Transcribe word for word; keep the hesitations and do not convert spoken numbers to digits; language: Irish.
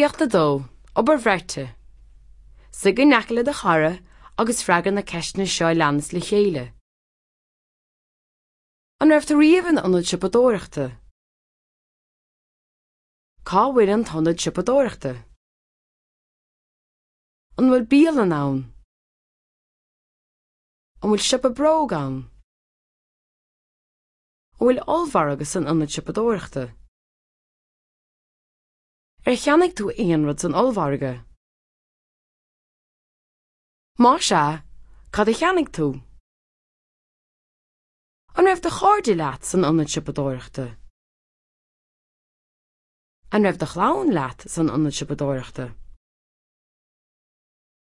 Gníomhaíocht a dó, Obair bheirte. Suigh in aice le do chara agus freagair na ceisteanna seo a leanas le chéile. An raibh tú riamh in ionad siopadóireachta? Cá bhfuil an t-ionad siopadóireachta? An bhfuil bialann ann? An bhfuil siopa bróg ann? An bhfuil ollmhargadh san ionad siopadóireachta? Ar cheannaigh tú aon rud san ollmhargadh? Más ea, cad a cheannaigh tú? An raibh do chairde leat san ionad siopadóireachta? An raibh do chlann leat san ionad siopadóireachta?